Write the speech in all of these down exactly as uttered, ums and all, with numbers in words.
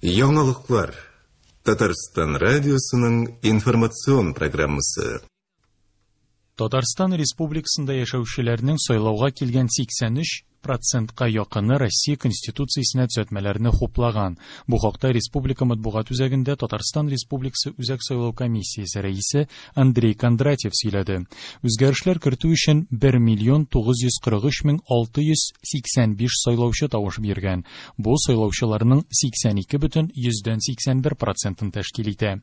Яңалыклар. Татарстан радиосының информацион программасы. Татарстан Республикасында яшәүчеләрнең сайлауга килгән сиксән өч процентка якыны Россия Конституциясенә төзәтмәләрне хуплаган. Бу хакта Республика матбугат үзәгендә Татарстан Республикасы Үзәк сайлау комиссиясе рәисе Андрей Кондратьев сөйләде. Үзгәрешләр кертү өчен бер миллион тугыз йөз кырык өч мең алты йөз сиксән биш сайлаучы тавыш биргән. Бу сайлаучыларның сиксән ике бөтен йөздән сиксән бер процентын тәшкил итә.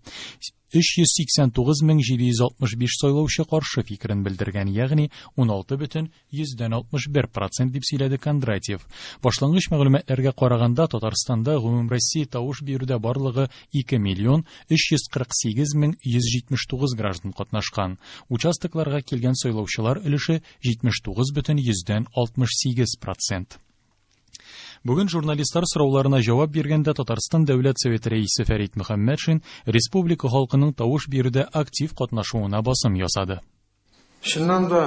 Өч йөз сиксән тугыз мең җиде йөз алтмыш биш сайлаучы каршы фикерен белдергән, ягъни ун алты бөтен йөздән алтмыш бер процент дип сөйләде Кондратьев. Башлангыч мәгълүматларга караганда, Татарстанда гомумроссия тавыш бирүдә барлыгы ике миллион өч йөз кырык сигез мең йөз җитмеш тугыз граждан катнашкан. Участокларга килгән сайлаучылар өлеше җитмеш тугыз бөтен йөздән алтмыш сигез процент. Бүген журналистлар сорауларына җавап биргәндә Татарстан Дәүләт Советы рәисе Фәрит Мөхәммәтшин республика халкының тавыш бирүдә актив катнашуына басым ясады. Чыннан да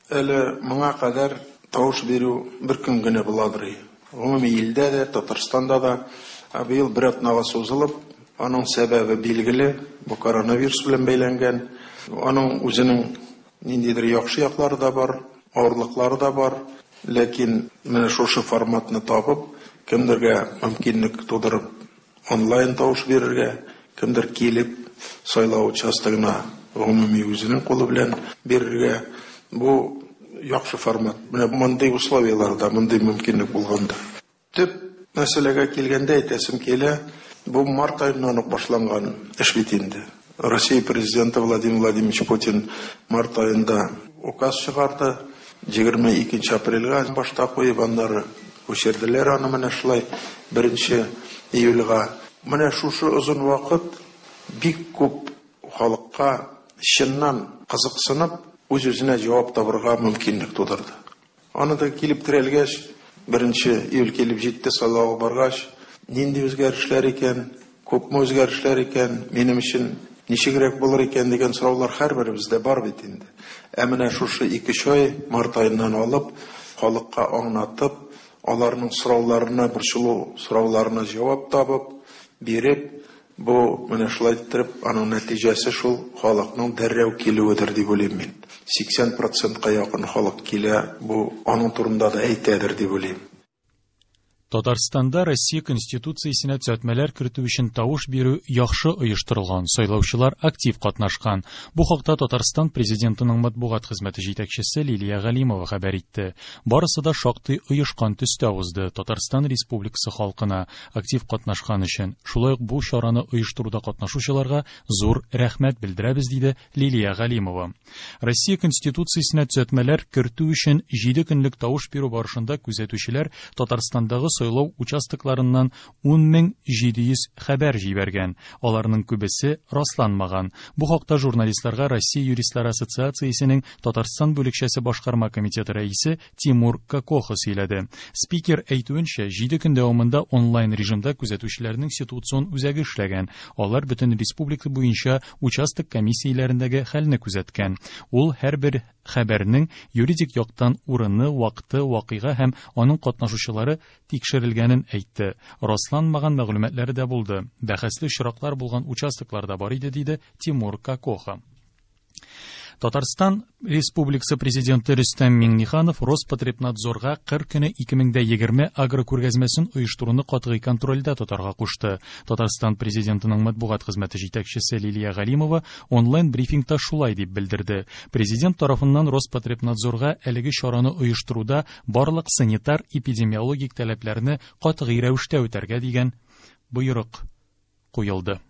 әле моңа кадәр тавыш бирү бер көн генә буладыр. Гомуми илдә дә, Татарстанда да, ә быел бер атнага сузылып, аның сәбәбе билгеле, бу коронавирус белән бәйләнгән. Аның үзенең ниндидер яхшы яклары да бар, авырлыклары да бар. Ләкин менә шушы форматны табып, кемдергә мөмкинлек тудырып онлайн тавыш бирергә, кемдер килеп сайлау участогына гомуми үзенең кулы белән бирергә, бу яхшы формат. Менә мондый условияларда, мондый мөмкинлек булганда. Төп мәсьәләгә килгәндә әйтәсем килә, бу март аеннан ук башланган эш бит инде. Россия президенты Владимир Владимирович Путин март аенда указ чыгарды. Егерме икенче апрельгә башта куеп, аннары күчерделәр аны менә шулай беренче июльгә. Менә шушы озын вакыт бик күп халыкка чыннан кызыксынып, үз-үзенә җавап табырга мөмкинлек тудырды. Аны да килеп терәлгәч, беренче июль килеп җитте, сайлауга баргач, нинди үзгәрешләр икән, күпме үзгәрешләр икән, минем өчен ничегрәк булыр икән дигән сораулар һәрберебездә бар бит инде. Ә менә шушы ике-өч ай март аеннан алып, халыкка аңлатып, аларның сорауларына, борчылу сорауларына җавап табып, биреп, бу менә шулай иттереп, аның нәтиҗәсе шул халыкның дәррәү килүедер дип уйлыйм мин. Сиксән процентка якын халык килә, бу аның турында да әйтәдер дип уйлыйм. Татарстанда Россия Конституциясенә төзәтмәләр кертү өчен тавыш бирү яхшы оештырылган, сайлаучылар актив катнашкан. Бу хакта Татарстан президентының матбугат хезмәте җитәкчесе Лилия Галимова хәбәр итте. Барысы да шактый оешкан төстә узды. Татарстан Республикасы халкына актив катнашкан өчен, шулай ук бу чараны оештыруда катнашучыларга зур рәхмәт белдерәбез, диде Лилия Галимова. Россия Конституциясенә төзәтмәләр кертү өчен җиде көнлек тавыш бирү барышында күзәтүчеләр Татарстандагы сайлау участокларыннан ун мең җиде йөз хәбәр җибәргән. Аларның күбесе расланмаган. Бу хакта журналистларга Россия юристлар ассоциациясенең Татарстан бүлекчәсе башкарма комитеты рәисе Тимур Кокоха сөйләде. Спикер әйтүенчә, җиде көн дәвамында онлайн режимда күзәтүчеләрнең ситуацион үзәге эшләгән. Алар бөтен республика буенча участок комиссияләрендәге хәлне күзәткән. Ул һәрбер хәбәрнең юридик яктан урыны, вакыты, вакыйга һәм аның катнашучылары тикшерелгәнен әйтте. Расланмаган мәгълүматлары да булды. Бәхәсле очраклар булган участоклар да бар иде, диде Тимур Кокоха. Татарстан Республикасы президенты Рөстәм Миңнеханов Роспотребнадзорга кыр көне ике мең дә егерме агрокүргәзмәсен оештыруны катгый контрольдә тотарга кушты. Татарстан президентының матбугат хезмәте җитәкчесе Лилия Галимова онлайн брифингта шулай дип белдерде. Президент тарафыннан Роспотребнадзорга әлеге чараны оештыруда барлык санитар-эпидемиологик таләпләрне катгый рәвештә үтәргә дигән боерык куелды.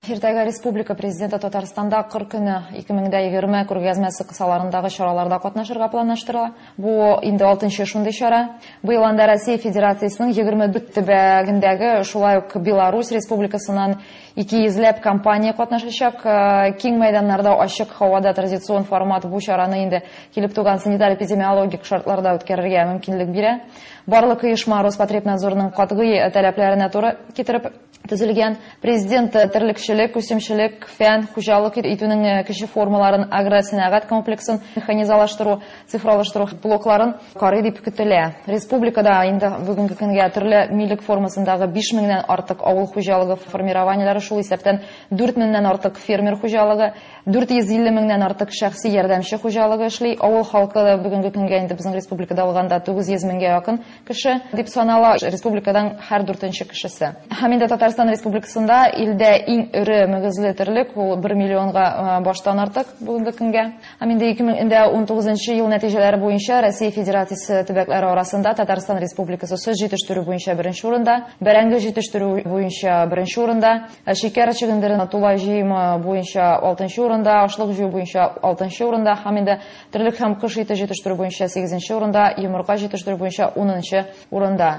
Иртәгә Республика Президенты Татарстанда кыр көне ике мең дә егерме күргәзмәсе кысаларындагы чараларда катнашырга планлаштырыла. Бу инде алтынчы шундый чара. Быел анда Россия Федерациясенең егерме дүрт төбәгендәге, шулай ук Беларусь Республикасыннан ике йөзләп компания катнашачак. Киң мәйданнарда ачык һавада традицион формат бу чараны инде килеп туган санитар-эпидемиологик шартларда үткәрергә мөмкинлек бирә. Барлык оешма Роспотребнадзорның катгый таләпләренә туры китереп төзелгән. Президент терлекчелек Игенчелек, үсемчелек, фән, хуҗалык итүнең кече формаларын, агросәнәгать комплексын механизалаштыру, цифралаштыру блокларын карый дип көтелә. Республикада инде бүгенге көнгә төрле милек формасындагы биш меңнән артык авыл хуҗалыгы формированиеләре, шул исәптән дүрт меңнән артык фермер хуҗалыгы, дүрт йөз илле меңнән артык шәхси ярдәмче хуҗалыгы эшли. Авыл халкы бүгенге көнгә инде безнең республикада алганда тугыз йөз меңгә якын кеше дип санала, республикадан һәр дүртенче кешесе. Һәм инде Татарстан Республикасында илдә иң эре мөгезле терлек ул бер миллионга баштан артык бүгенге көнгә. Һәм инде ике мең ун тугызынчы ел нәтиҗәләре буенча Россия Федерациясе төбәкләре арасында Татарстан Республикасы сөт җитештерү буенча беренче урында, бәрәңге җитештерү буенча беренче урында, шикәр чөгендерен тулай җыемы буенча алтынчы урында, ашлык җыю буенча алтынчы урында, һәм инде терлек һәм кош ите җитештерү буенча сигезенче урында, йомырка җитештерү буенча унынчы урында.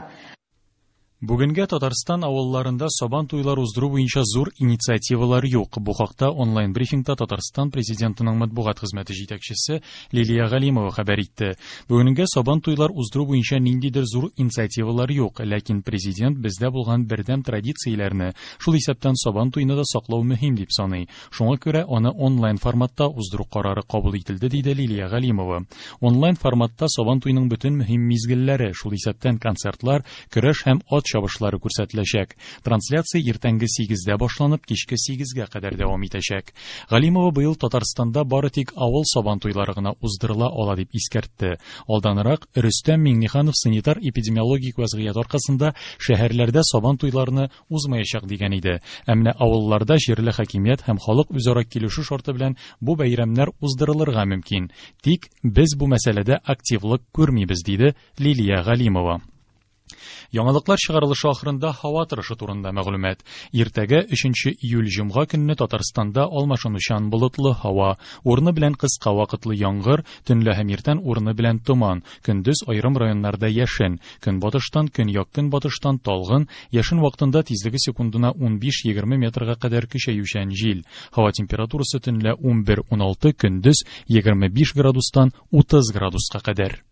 Бүгенгә Татарстан авылларында сабан туйлар уздыру буенча зур инициативалар юк. Бу хакта онлайн брифингта Татарстан президентының матбугат хезмәте җитәкчесе Лилия Галимова хәбәр итте. Бүгенгә сабан туйлар уздыру буенча ниндидер зур инициативалар юк, ләкин президент бездә булган бердәм традицияләрне, шул исәптән сабан туйны да саклау мөһим дип саный. Шуңа күрә аны онлайн форматта уздыру карары кабул ителде, диде Лилия Галимова. Онлайн форматта сабан туйның бөтен мөһим мизгелләре, шул исәптән концертлар, көрәш һәм ат чабышлары күрсәтеләчәк. Трансляция иртәнге сигездә башланып, кичке сигезгә кадәр дәвам итәчәк. Галимова быел Татарстанда бары тик авыл сабан туйлары гына уздырыла ала дип искәртте. Алданрак Рөстәм Миңнеханов санитар эпидемиологик вазгыять аркасында шәһәрләрдә сабан туйларны узмаячак дигән иде. Ә менә авылларда җирле хакимият һәм халык үзара килешү шарты белән бу бәйрәмнәр уздырылырга мөмкин. Тик без бу мәсьәләдә активлык күрмибез, диде Лилия Галимова. Яңалыклар чыгарылышы ахырында һава торышы турында мәгълүмат. Иртәгә өченче июль җомга көнне Татарстанда алмашынучан болытлы һава, урыны белән кыска вакытлы яңгыр, төнлә һәм иртән урыны белән томан, көндез аерым районнарда яшен, көнбатыштан, көньяк-көнбатыштан талгын, яшен вакытында тизлеге секундына ун биш-егерме метрга кадәр көчәючән җил. Һава температурасы төнлә ун бер-ун алты, көндез егерме биш градустан утыз градуска кадәр.